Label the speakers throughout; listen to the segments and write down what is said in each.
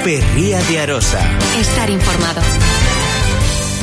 Speaker 1: COPE Ría de Arosa.
Speaker 2: Estar informado.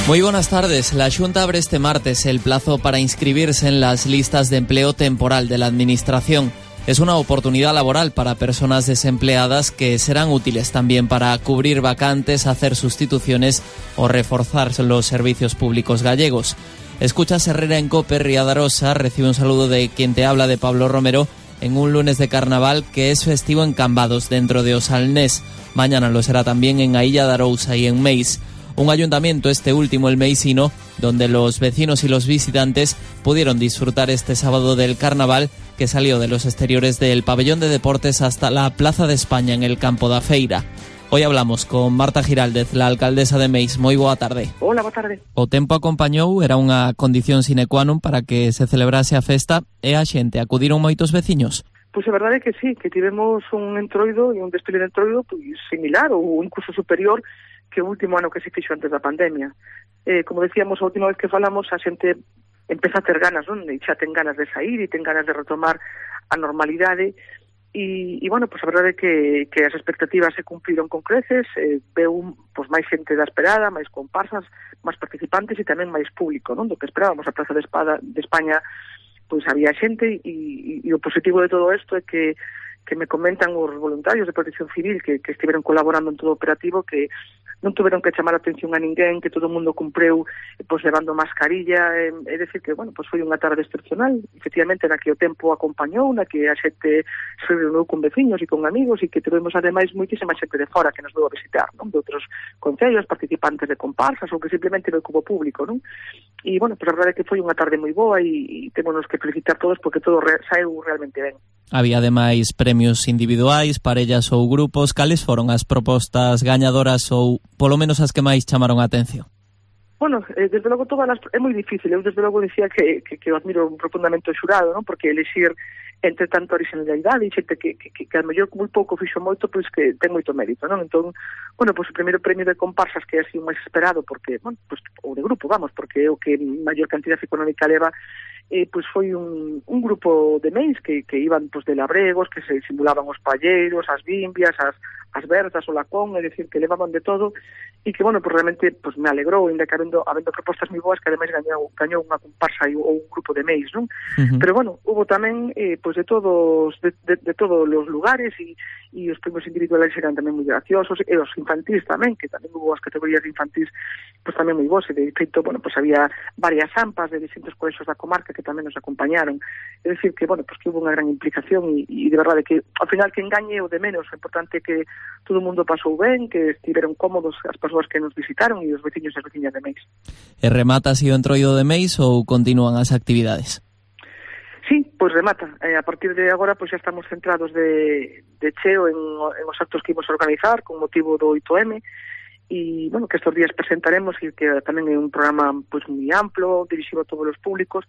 Speaker 3: Muy buenas tardes. La Xunta abre este martes el plazo para inscribirse en las listas de empleo temporal de la Administración. Es una oportunidad laboral para personas desempleadas que serán útiles también para cubrir vacantes, hacer sustituciones o reforzar los servicios públicos gallegos. Escuchas Herrera en COPE Ría de Arosa. Recibe un saludo de quien te habla, de Pablo Romero, en un lunes de carnaval que es festivo en Cambados, dentro de Osalnés. Mañana lo será también en Ailla de Arousa y en Meis. Un ayuntamiento, este último el meisino, donde los vecinos y los visitantes pudieron disfrutar este sábado del carnaval, que salió de los exteriores del pabellón de deportes hasta la Plaza de España en el Campo da Feira. Hoy hablamos con Marta Giraldez, la alcaldesa de Meis. Moi boa tarde.
Speaker 4: Hola, boa tarde.
Speaker 3: O tempo acompañou, era unha condición sine qua non para que se celebrase a festa, e a xente acudiron moitos veciños.
Speaker 4: Pois a verdade é que sí, que tivemos un entroido e un desfile de entroido pois similar ou incluso superior que o último ano que se fixo antes da pandemia. Como decíamos a última vez que falamos, a xente empeza a ter ganas, non? E xa ten ganas de sair e ten ganas de retomar a normalidade. E bueno, pois a verdade é que as expectativas se cumpriron con creces, veu pois máis xente da esperada, máis comparsas, máis participantes e tamén máis público, non? Do que esperábamos. A Plaza de España pois había xente e o positivo de todo isto é que me comentan os voluntarios de Protección Civil que estiveron colaborando en todo o operativo, que non tuveron que chamar a atención a ninguén, que todo o mundo cumpreu pois levando mascarilla, é dicir que, bueno, pois foi unha tarde excepcional, efectivamente, na que o tempo acompañou, na que a xente se reuniu con veciños e con amigos e que tivemos ademais moitísima xente de fora que nos veu a visitar, non? De outros concellos, participantes de comparsas ou que simplemente veu como público, non? E, bueno, pois a verdade é que foi unha tarde moi boa e témonos que felicitar todos porque todo saeu realmente ben.
Speaker 3: Había ademais premios individuais, parellas ou grupos. Cales foron as propostas gañadoras ou polo menos as que máis chamaron a atención?
Speaker 4: Bueno, desde logo é moi difícil. Eu desde logo dicía que eu admiro profundamente o xurado, non? Porque elixir entre tanta originalidade e xente que a mellor moi pouco fixo moito, pois que ten moito mérito, non? Entón, bueno, pois o primeiro premio de comparsas que é así o máis esperado, porque, bueno, pois, ou de grupo, vamos, porque é o que maior cantidad económica leva, pois foi un grupo de Meis que iban pois de labregos, que se simulaban os palleiros, as bimbias, as berzas, o lacón, é dicir, que levaban de todo, e que, bueno, pues realmente pues me alegrou, ainda que habendo propostas moi boas, que ademais gañou unha comparsa ou un grupo de Meis, non? Pero, bueno, hubo tamén pues de todos os lugares e os premios individuales eran tamén moi graciosos, e os infantís tamén, que tamén hubo as categorías de infantís pues tamén moi boas, e de feito, bueno, pues había varias AMPAs de distintos colexios da comarca que tamén nos acompañaron. É dicir que, bueno, pues que hubo unha gran implicación e de verdade que, ao final, que engañe o de menos. O importante é que todo o mundo pasou ben, que estiveron cómodos as persoas que nos visitaron e os veciños e as veciñas de Meis.
Speaker 3: E remata así o entroido de Meis ou continúan as actividades?
Speaker 4: Sí, pois remata. A partir de agora pois xa estamos centrados de cheo en os actos que imos organizar con motivo do 8M e, bueno, que estes días presentaremos e que tamén é un programa pois moi amplo, dirixido a todos os públicos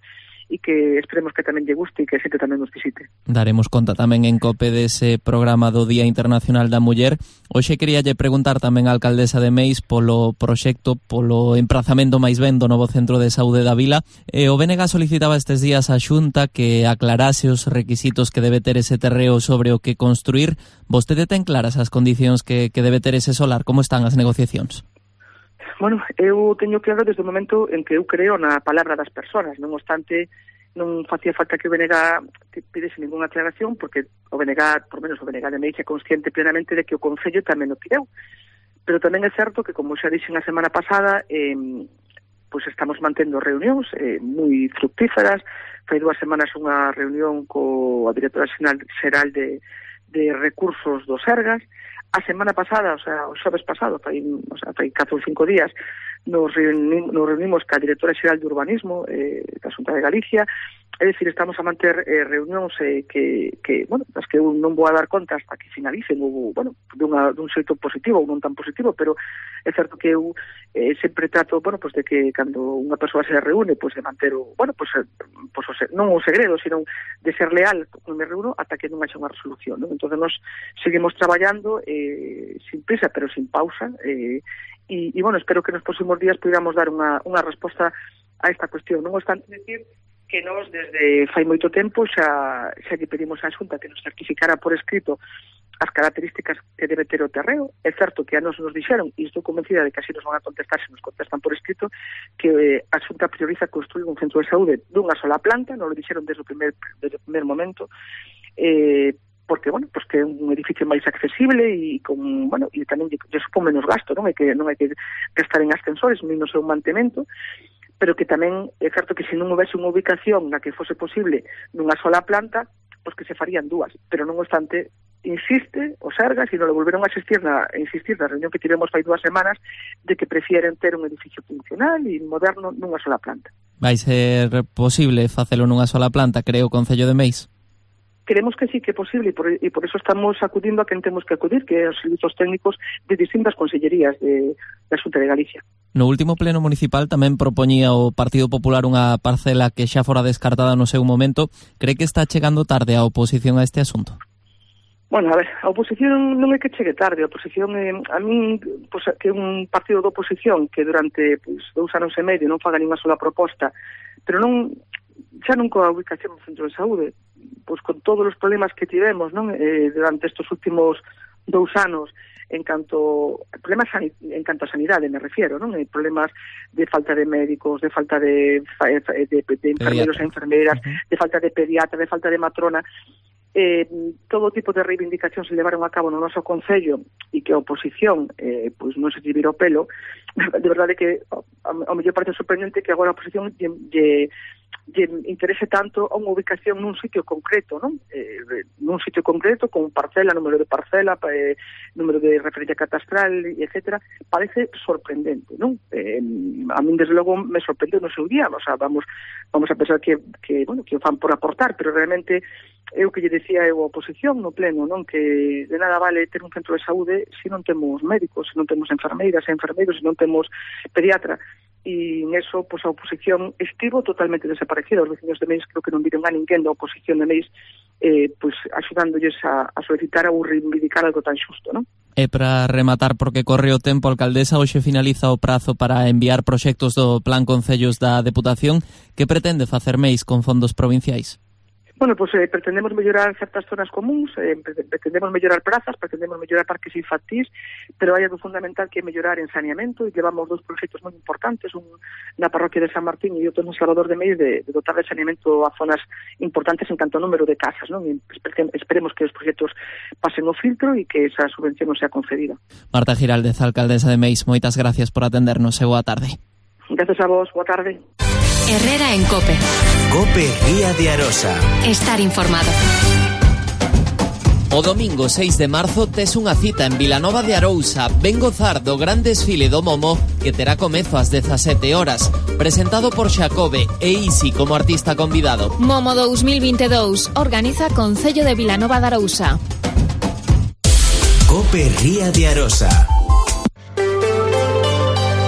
Speaker 4: e que esperemos que tamén lle guste e que a xente tamén nos visite.
Speaker 3: Daremos conta tamén en COPE dese programa do Día Internacional da Muller. Hoxe queríalle preguntar tamén á alcaldesa de Meis polo proxecto, polo emprazamento máis ben do novo centro de saúde da vila. O BNG solicitaba estes días á Xunta que aclarase os requisitos que debe ter ese terreo sobre o que construir. Vostede ten claras as condicións que debe ter ese solar? Como están as negociacións?
Speaker 4: Bueno, eu teño claro desde o momento en que eu creo na palabra das persoas, non obstante, non facía falta que o BNG pidese ninguna aclaración, porque o BNG, por menos o BNG de Meis, é consciente plenamente de que o Concello tamén o pideu. Pero tamén é certo que, como xa dixen a semana pasada, pois estamos mantendo reunións moi fructíferas. Fai 2 semanas unha reunión coa directora xeral de recursos do Sergas. A semana pasada, o sea, o xoves pasado, fai 4 ou 5 días, nos reunimos ca directora xeral de urbanismo da Xunta de Galicia. É dicir, estamos a manter reunións que, bueno, das que eu non vou a dar conta hasta que finalicen, ou, bueno, dun xeito positivo ou non tan positivo, pero é certo que eu sempre trato, bueno, pues de que cando unha persoa se reúne, pues de manter o, bueno, pues non o segredo, sino de ser leal con me reúno ata que non haxa unha resolución, non? Entón, nos seguimos traballando sin prisa, pero sin pausa, e, bueno, espero que nos próximos días podamos dar unha resposta a esta cuestión. Non obstante decir que nós desde fai moito tempo xa lle pedimos á Xunta que nos certificara por escrito as características que debe ter o terreo. É certo que a nos dixeron, e estou convencida de que así nos van a contestar se nos contestan por escrito, que a Xunta prioriza construir un centro de saúde dunha sola planta, non lo dixeron desde o primer momento, porque, bueno, pues que é un edificio máis accesible e con, bueno, e tamén lle supón menos gasto, non hai que gastar en ascensores nin no seu mantemento, pero que tamén é certo que se non houvese unha ubicación na que fose posible nunha sola planta, pois que se farían dúas, pero non obstante insiste o Sergas, e non lo volveron a insistir na reunión que tivemos fai 2 semanas, de que prefieren ter un edificio funcional e moderno nunha sola planta.
Speaker 3: Vai ser posible facelo nunha sola planta, creo, o Concello de Meis?
Speaker 4: Creemos que sí que é posible e por eso estamos acudindo a quen temos que acudir, que é os servizos técnicos de distintas consellerías da Xunta de Galicia.
Speaker 3: No último pleno municipal tamén propoñía o Partido Popular unha parcela que xa fora descartada no seu momento. Cree que está chegando tarde a oposición a este asunto?
Speaker 4: Bueno, a ver, a oposición non é que chegue tarde, a oposición a min, pues, que é un partido de oposición que durante 2 anos e medio non faga ninguna sola proposta, pero xa non coa ubicación do centro de saúde, pois con todos os problemas que tivemos, non, durante estes últimos 2 anos, en canto a sanidade me refiero, non? Problemas de falta de médicos, de falta de enfermeros e enfermeras, de falta de pediatra, de falta de matrona. Todo tipo de reivindicacións se levaron a cabo no noso Concello e que a oposición pois non se lle vira o pelo. De verdade que ao mellor parece sorprendente que agora a oposición lle interese tanto a unha ubicación nun sitio concreto, non? Nun sitio concreto, con parcela, número de parcela, número de referencia catastral, etcétera, parece sorprendente, non? A min, desde logo, me sorprendeu no seu día, o sea, vamos a pensar que o fan por aportar, pero realmente é o que lle decía eu a oposición no pleno, non? Que de nada vale ter un centro de saúde se non temos médicos, se non temos enfermeiras e enfermeiros, se non temos pediatra. E en eso, pois, a oposición estivo totalmente desaparecida. Os vecinos de Meis creo que non viron a ninguén da oposición de Meis pois axudándolles a solicitar ou reivindicar algo tan xusto, non?
Speaker 3: E para rematar, porque corre o tempo, alcaldesa, hoxe finaliza o prazo para enviar proxectos do Plan Concellos da Deputación. Que pretende facer Meis con fondos provinciais?
Speaker 4: Bueno, pues pretendemos mellorar certas zonas comuns, pretendemos mellorar prazas, pretendemos mellorar parques infantís, pero hai algo fundamental que é mellorar en saneamento, e llevamos 2 proxectos moi importantes, un na parroquia de San Martín e outro no Salvador de Meis, de dotar de saneamento a zonas importantes en canto ao número de casas, non? E esperemos que os proxectos pasen o filtro e que esa subvención non sea concedida.
Speaker 3: Marta Giraldez, alcaldesa de Meis, moitas gracias por atendernos e boa tarde.
Speaker 4: Gracias a vos, boa tarde.
Speaker 1: Herrera en COPE.
Speaker 2: COPE Ría de Arosa.
Speaker 1: Estar informado.
Speaker 3: O domingo 6 de marzo tes unha cita en Vilanova de Arousa. Ven gozar do gran desfile do Momo que terá comezo ás 17 horas. Presentado por Xacobe e Isi como artista convidado.
Speaker 1: Momo 2022 organiza Concello de Vilanova de Arousa.
Speaker 2: COPE Ría de Arosa.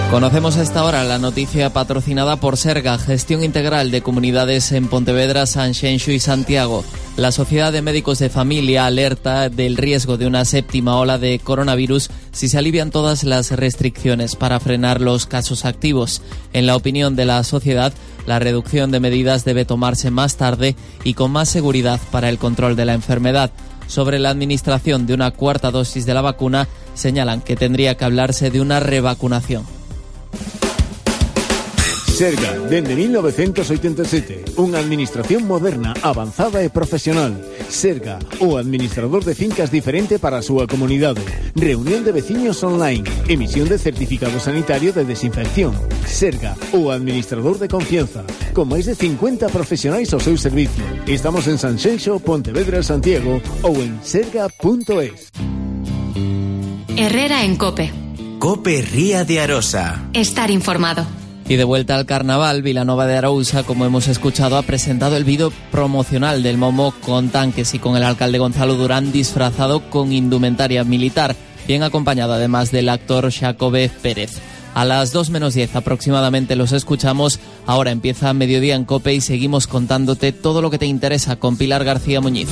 Speaker 3: Conocemos a esta hora la noticia patrocinada por Serga, Gestión Integral de Comunidades en Pontevedra, Sanxenxo y Santiago. La Sociedad de Médicos de Familia alerta del riesgo de una 7ª ola de coronavirus si se alivian todas las restricciones para frenar los casos activos. En la opinión de la sociedad, la reducción de medidas debe tomarse más tarde y con más seguridad para el control de la enfermedad. Sobre la administración de una 4ª dosis de la vacuna, señalan que tendría que hablarse de una revacunación.
Speaker 5: Serga, dende 1987, unha administración moderna, avanzada e profesional. Serga, o administrador de fincas diferente para a súa comunidade. Reunión de veciños online, emisión de certificado sanitario de desinfección. Serga, o administrador de confianza, con máis de 50 profesionais ao seu servicio. Estamos en Sanxenxo, Pontevedra, Santiago ou en serga.es.
Speaker 1: Herrera en COPE.
Speaker 2: COPE Ría de Arosa.
Speaker 1: Estar informado.
Speaker 3: Y de vuelta al carnaval, Vilanova de Arousa, como hemos escuchado, ha presentado el vídeo promocional del Momo con tanques y con el alcalde Gonzalo Durán disfrazado con indumentaria militar, bien acompañado además del actor Xacobe Pérez. A las 2 menos 10 aproximadamente los escuchamos. Ahora empieza Mediodía en COPE y seguimos contándote todo lo que te interesa con Pilar García Muñiz.